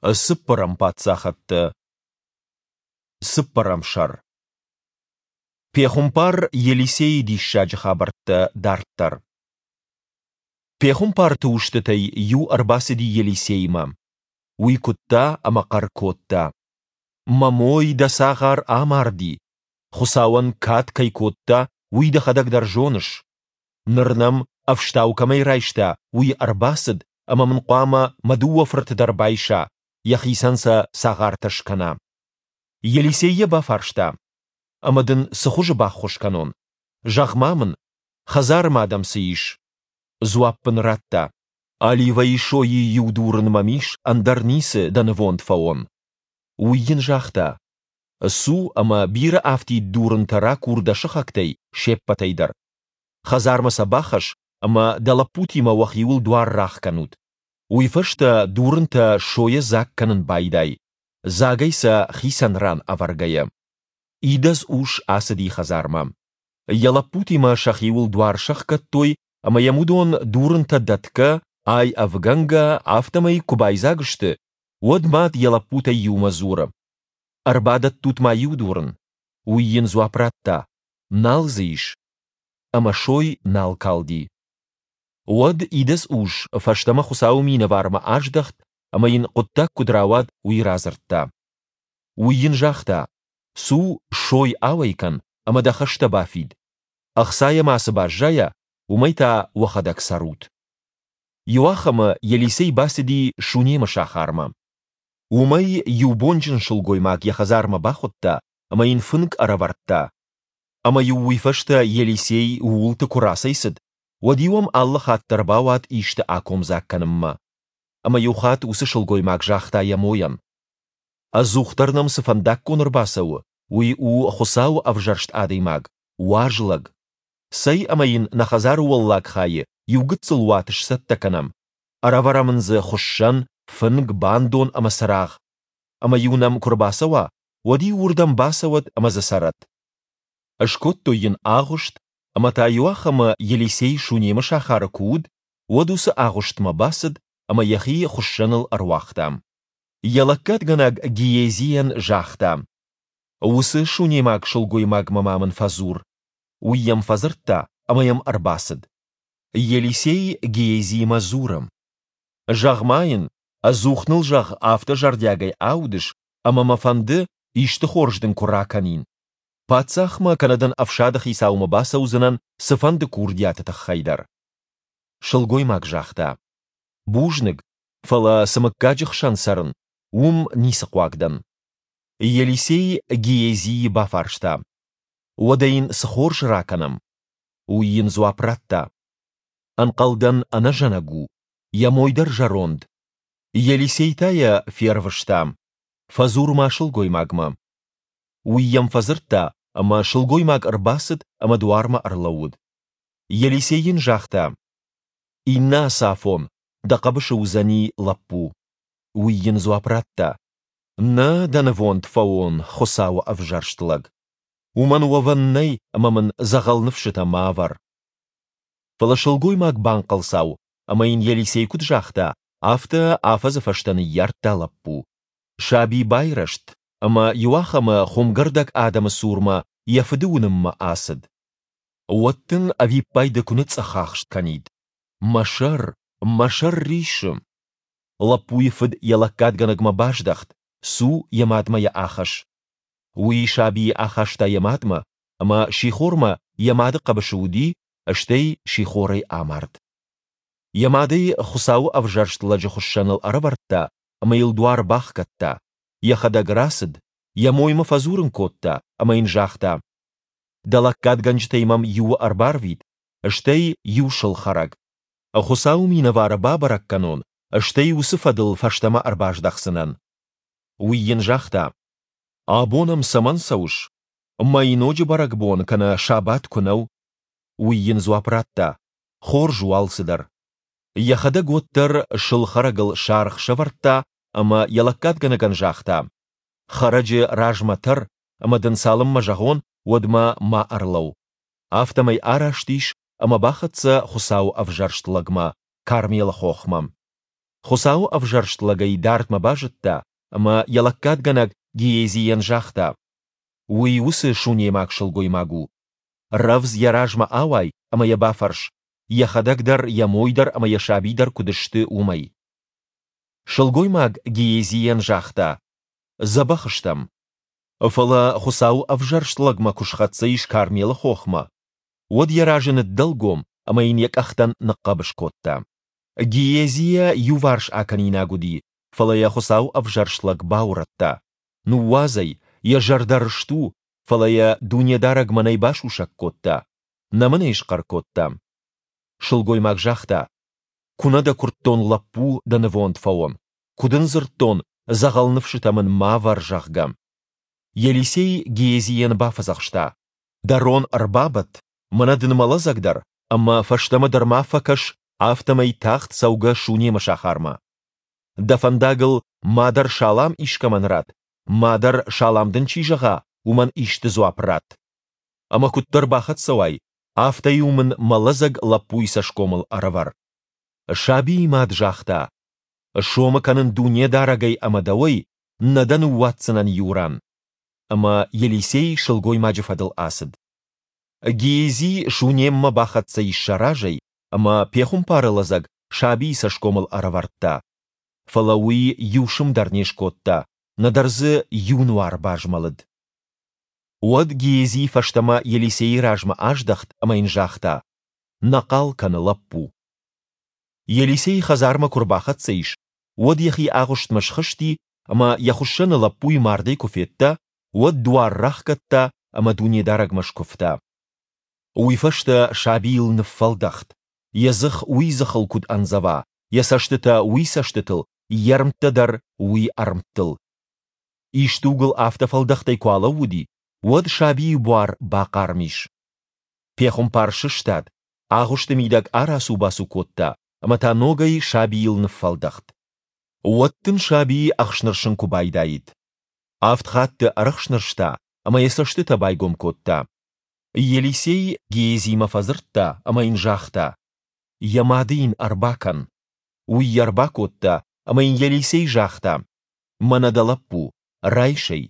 Цыппӕрӕм паддзахӕдтӕ. Цыппӕрӕм сӕр. Пехуымпар Елисейы диссаджы хабӕрттӕ дарддӕр. Пехуымпарты устытӕй иу ӕрбацыди Елисеймӕ. Уый куыдта ӕмӕ хъӕр кодта: «Мӕ мой, дӕ цагъар, амарди. Хуыцауӕн кад кӕй кодта, уый дӕхӕдӕг дӕр зоныс. Ныр нӕм, ӕфстау кӕмӕй райста, уый ӕрбацыд ӕмӕ мын хъуамӕ мӕ дыууӕ фырты дӕр байса, йӕхицӕн сӕ цагъартӕ скӕна. Елисей йӕ бафарста: Ӕмӕ дын цы хуызы баххуыс кӕнон? Зӕгъ-ма мын, хӕдзары ма дӕм цы ис? Дзуапп ын радта: Оливӕйы сойы иу дурын мӕм ис, ӕндӕр ницы, дӕ нывонд фӕуон. Уый йын загъта: Цу ӕмӕ бирӕ афтид дурынтӕ ракур дӕ сыхӕгтӕй се ппӕтӕй дӕр. Хӕдзармӕ сӕ бахӕсс ӕмӕ дӕ лӕппутимӕ уӕхиуыл дуар рахгӕнут. Уый фӕстӕ дурынтӕ сойӕ дзаг кӕнын байдай, дзагӕй сӕ хицӕн ран ӕвӕргӕйӕ. Идӕдз ус ацыди хӕдзармӕ. Йӕ лӕппутимӕ сӕхиуыл дуар сӕхгӕдтой ӕмӕ йӕм уыдон дурынтӕ дӕтгӕ, ай ӕвгӕнгӕ, афтӕмӕй куы байдзаг сты, уӕд мад йӕ лӕппутӕй иумӕ дзуры: «Ӕрбадӕттут ма иу дурын». Уый йын дзуапп радта: «Нал дзы ис». Ӕмӕ сой нал калди. Уӕд идӕдз ус фӕстӕмӕ Хуыцауы минӕвармӕ аздӕхт ӕмӕ йын хъуыддаг куыд рауад, уый радзырдта. Уый йын загъта: «Цу, сой ауӕй кӕн ӕмӕ дӕ хӕстӕ бафид. Ӕхцайӕ ма цы баззайа, уымӕй та уӕхӕдӕг цӕрут». Иуахӕмы Елисей бацыди Шунемы сахармӕ. Уым ӕй иу бонджын сылгоймаг йӕ хӕдзармӕ бахуыдта ӕмӕ йын фынг ӕрӕвӕрдта. Ӕмӕ-иу уый фӕстӕ Елисей ууылты куы рацӕйцыд, уӕд-иу ӕм алы хатт дӕр бауад исты акомдзаг кӕнынмӕ. Ӕмӕ иу хатт уыцы сылгоймаг загъта йӕ мойӕн: «Ӕдзухдӕр нӕм цы фӕндаггон ӕрбацӕуы, уый у Хуыцауы ӕвзӕрст адӕймаг, уаз лӕг. Цӕй ӕмӕ йын нӕ хӕдзары уӕллаг хайы иу гыццыл уат сцӕттӕ кӕнӕм, ӕрӕвӕрӕм ын дзы хуыссӕн, фынг, бандон ӕмӕ цырагъ. Ӕмӕ-иу нӕм куы рбацӕуа, уӕд-иу уырдӕм бацӕуӕд ӕмӕ дзы цӕрӕд. Скодтой йын агъуыст, ӕмӕ та иуахӕмы Елисей Шунемы сахары куы уыд, уӕд уыцы агъуыстмӕ бацыд ӕмӕ йӕхи хуыссӕныл ӕруагъта. Йӕ лӕггадгӕнӕг Гиезийӕн загъта: «Уыцы шунемаг сылгоймагмӕ ма мын фӕдзур». Уый йӕм фӕдзырдта ӕмӕ йӕм ӕрбацыд. Елисей Гиезимӕ дзуры: «Зӕгъ-ма йын, ӕдзух ныл, зӕгъ, афтӕ зӕрдиагӕй аудыс, ӕмӕ мӕ фӕнды, исты хорз дын куы ракӕнин. Паддзахмӕ кӕнӕ дын ӕфсады хицаумӕ бацӕудзынӕн цыфӕнды курдиаты тыххӕй дӕр. Сылгоймаг загъта: Бузныг, фӕлӕ цы мыггаджы хсӕн цӕрын, уым ницы хъуаг дӕн. Елисей Гиезийы бафарста: Уӕдӕ йын цы хорз ракӕнӕм? Уый йын дзуапп радта: Ӕнхъӕлдӕн, ӕнӕзӕнӕг у, йӕ мой дӕр зӕронд. Елисей та йӕ фервыста: Фӕдзур-ма сылгоймагмӕ. Уый йӕм фӕдзырдта, ӕмӕ сылгоймаг ӕрбацыд ӕмӕ дуармӕ ӕрлӕууыд. Елисей йын загъта: Иннӕ ацафон дӕ хъӕбысы уыдзӕни лӕппу. Уый йын дзуапп радта: Нӕ, дӕ нывонд фӕуон, Хуыцауы ӕвзӕрст лӕг. Уымӕн уӕвӕн нӕй ӕмӕ мын дзӕгъӕл ныфсытӕ ма ӕвӕр. Фӕлӕ сылгоймаг банхъӕлцау, ӕмӕ йын Елисей куыд загъта, афтӕ афӕдзы фӕстӕ ныййардта лӕппу. Саби байрӕзт, ӕмӕ иуахӕмы хуымгӕрдӕг адӕмы цурмӕ йӕ фыды уынынмӕ ацыд. Уӕд дын ӕвиппайды куы ныцъцъӕхахст кӕнид: «Мӕ сӕр, мӕ сӕр риссы!» Лӕппуйы фыд йӕ лӕггадгӕнӕгмӕ баздӕхт, «Цу, йӕ мадмӕ йӕ ахӕсс». Уый сабийы ахаста йӕ мадмӕ, ӕмӕ сихормӕ йӕ мады хъӕбысы уыди, стӕй сихорӕй амард. Йӕ мад ӕй Хуыцауы ӕвзӕрст лӕджы хуыссӕныл ӕрӕвӕрдта ӕмӕ йыл дуар бахгӕдта, йӕхӕдӕг рацыд, йӕ моймӕ фӕдзурын кодта ӕмӕ йын загъта: «Дӕ лӕггадгӕнджытӕй мӕм иуы ӕрбарвит, стӕй иу сыл хӕрӕг. Хуыцауы минӕвары бабӕрӕг кӕнон, стӕй уыцы фӕдыл фӕстӕмӕ ӕрбаздӕхдзынӕн». Уый йын загъта: «Абон ӕм цӕмӕн цӕуыс? Мӕйноджы бӕрӕгбон кӕнӕ сабат куы нӕу». Уый йын дзуапп радта: «Хорз у алцыдӕр. Йӕхӕдӕг уӕддӕр сыл хӕрӕгыл саргъ сӕвӕрдта ӕмӕ йӕ лӕггадгӕнӕгӕн загъта: «Хӕрӕджы размӕ тӕр, ӕмӕ дын цалынмӕ зӕгъон, уӕдмӕ ма ӕрлӕуу». Афтӕмӕй араст ис ӕмӕ бахӕццӕ Хуыцауы ӕвзӕрст лӕгмӕ, Кармелы хохмӕ. Хуыцауы ӕвзӕрст лӕг ӕй дардмӕ базыдта ӕмӕ йӕ лӕггадгӕнӕг Гиезийӕн загъта, Уый уыцы сунемаг сылгоймаг у. Рӕвдз йӕ размӕ ауай ӕмӕ йӕ бафӕрс, йӕхӕдӕг дӕр, йӕ мой дӕр ӕмӕ йӕ саби дӕр куыд сты, уымӕй. Сылгоймаг Гиезийӕн загъта, Дзӕбӕх стӕм. Фӕлӕ Хуыцауы ӕвзӕрст лӕгмӕ куы схӕццӕ ис Кармелы хохмӕ, уӕд йӕ разы ныддӕлгом ӕмӕ йын йӕ къӕхтӕн ныхъхъӕбыс кодта. Гиези йӕ иуварс акӕнинаг уыди, фӕлӕ йӕ Хуыцауы ӕвзӕрст лӕг баурӕдта. Ныууадз ӕй, йӕ зӕрдӕ рыст у, фӕлӕ йӕ Дунедарӕг мӕнӕй басусӕг кодта, нӕ мын ӕй схъӕр кодта. Сылгоймаг загъта, Куы нӕ дӕ куырдтон лӕппу, дӕ нывонд фӕуон, куы дын дзырдтон, дзӕгъӕл ныфсытӕ мын ма вӕр, зӕгъгӕ. Елисей Гиезийӕн бафӕдзӕхста, Дӕ рон ӕрбабӕтт, мӕнӕ дын мӕ лӕдзӕг дӕр, ӕмӕ фӕстӕмӕ дӕр ма фӕкӕс, афтӕмӕй тагъд цӕугӕ Сунемы сахармӕ. Дӕ фӕндагыл мадӕр салам искӕмӕн ратт, мадӕр салам дын чи зӕгъа, уымӕн исты дзуапп ратт. Ӕмӕ куыддӕр бахӕццӕ уай, афтӕ-иу мын мӕ лӕдзӕг лӕппуйы цӕсгомыл ӕрӕвӕр. Сабийы мад загъта, Сомы кӕнын Дунедарӕгӕй ӕмӕ дӕуӕй, нӕ дӕ ныууадздзынӕн иу ран. Ӕмӕ Елисей сылгоймаджы фӕдыл ацыд. Гиези Сунеммӕ бахӕццӕ ис сӕ разӕй, ӕмӕ пехуымпары лӕдзӕг сабийы цӕсгомыл ӕрӕвӕрдта. Фӕлӕ уый иу сым дӕр не скодта, нӕдӕр дзы иу нуар базмӕлыд. Уӕд Гиези фӕстӕмӕ Елисейы размӕ аздӕхт ӕмӕ йын загъта, Нӕ хъал кӕны лӕппу. Елисей хӕдзармӕ куы рбахӕццӕ ис, уӕд йӕхи агъуыстмӕ схызти ӕмӕ йӕ хуыссӕны лӕппуйы мардӕй куы федта, уӕд дуар рахгӕдта ӕмӕ Дунедарӕгмӕ скуывта. Уый фӕстӕ сабийыл ныффӕлдӕхт, йӕ дзых уый дзыхыл куыд андзӕва, йӕ цӕстытӕ уый цӕстытыл, йе рмттӕ дӕр уый ӕрмттыл. Исдугыл афтӕ фӕлдӕхтӕй куы алӕууыди, уӕд сабийы буар бахъарм ис. Пехуымпар сыстад, агъуысты мидӕг арацу-бацу кодта ӕмӕ та ногӕй сабийыл ныффӕлдӕхт. Уӕд дын саби ӕхснырсын куы байдаид. Авд хатты ӕрӕхснырста ӕмӕ йӕ цӕстытӕ байгом кодта. Елисей Гиезимӕ фӕдзырдта ӕмӕ йын загъта, Йӕ мады йын ӕрбакӕн. Уый йӕ ӕрбакодта, ӕмӕ йын Елисей загъта, Мӕнӕ дӕ лӕппу, райс ӕй.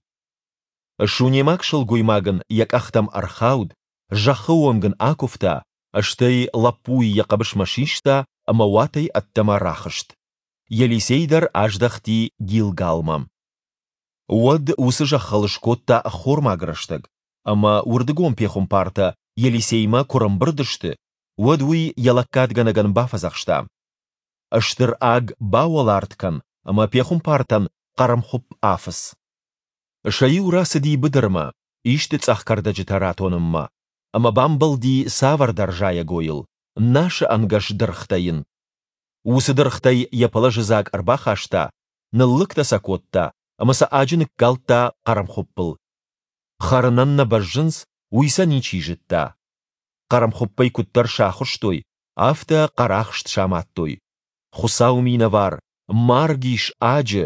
Сунемаг сылгоймаг ын йӕ къӕхтӕм ӕрхауд, зӕххы онг ын акуывта, стӕй лӕппуйы йӕ хъӕбысмӕ систа ӕмӕ уатӕй ӕддӕмӕ рахызт. Елисей дӕр аздӕхти Гилгалмӕ. Уӕд уыцы зӕххыл скодта ӕххормаг рӕстӕг, ӕмӕ уырдыгон пехуымпартӕ Елисеймӕ куы рӕмбырд сты, уӕд уый йӕ лӕггадгӕнӕгӕн бафӕдзӕхста: Стыр аг бауӕларт кӕн ӕмӕ пехуымпартӕн хъӕрмхуыпп афыц. Сӕ иу рацыди быдырмӕ, исты цъӕх кӕрдӕджытӕ ратонынмӕ, ӕмӕ бамбӕлди цавӕрдӕр зайӕгойыл, насы ӕнгӕс дыргътӕ йын. Уыцы дыргътӕй йӕ пӕлӕзы дзаг ӕрбахаста, ныллыгтӕ сӕ кодта ӕмӕ сӕ аджы ныккалдта хъӕрмхуыппыл. Хӕрынӕн нӕ бӕззынц, уый сӕ ничи зыдта. Хъӕрмхуыппӕй куыддӕр сахуыстой, афтӕ хъӕрахст самадтой. Хуыцауы минӕвар, марг ис аджы!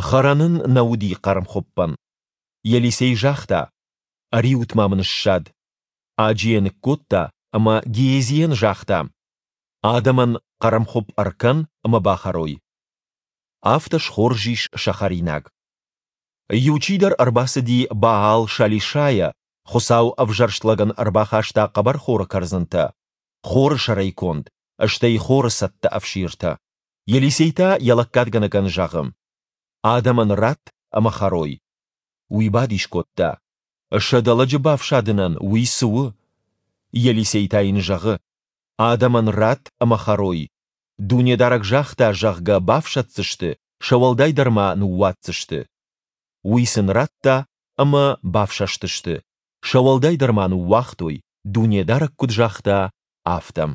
Хӕрӕн ын нӕ уыди хъӕрмхуыппӕн. Елисей загъта, Ӕриут-ма мын ссад. Аджы йӕ ныккодта ӕмӕ Гиезийӕн загъта, Адӕмӕн хъӕрмхуыпп ӕркӕн ӕмӕ бахӕрой. Афтӕ схорз ис сӕ хӕринаг. Иу чидӕр ӕрбацыди Баал-Шалишайӕ, Хуыцау ӕвзӕрст лӕгӕн ӕрбахаста хъӕбӕрхоры кӕрдзынтӕ, хоры сӕрӕй конд, стӕй хоры цӕттӕ ӕфсиртӕ. Елисей та йӕ лӕггадгӕнӕгӕн зӕгъы: Адӕмӕн ратт ӕмӕ хӕрой. Уый бадис кодта: Сӕдӕ лӕджы бафсадынӕн уый цы у? Елисей та йын зӕгъы: Адӕмӕн ратт ӕмӕ хӕрой. Дунедарӕг загъта, зӕгъгӕ, бафсаддзысты, сӕ уӕлдай дӕр ма ныууадздзысты. Уый сын радта, ӕмӕ бафсӕстысты, сӕ уӕлдай дӕр ма ныууагътой, Дунедарӕг куыд загъта, афтӕ.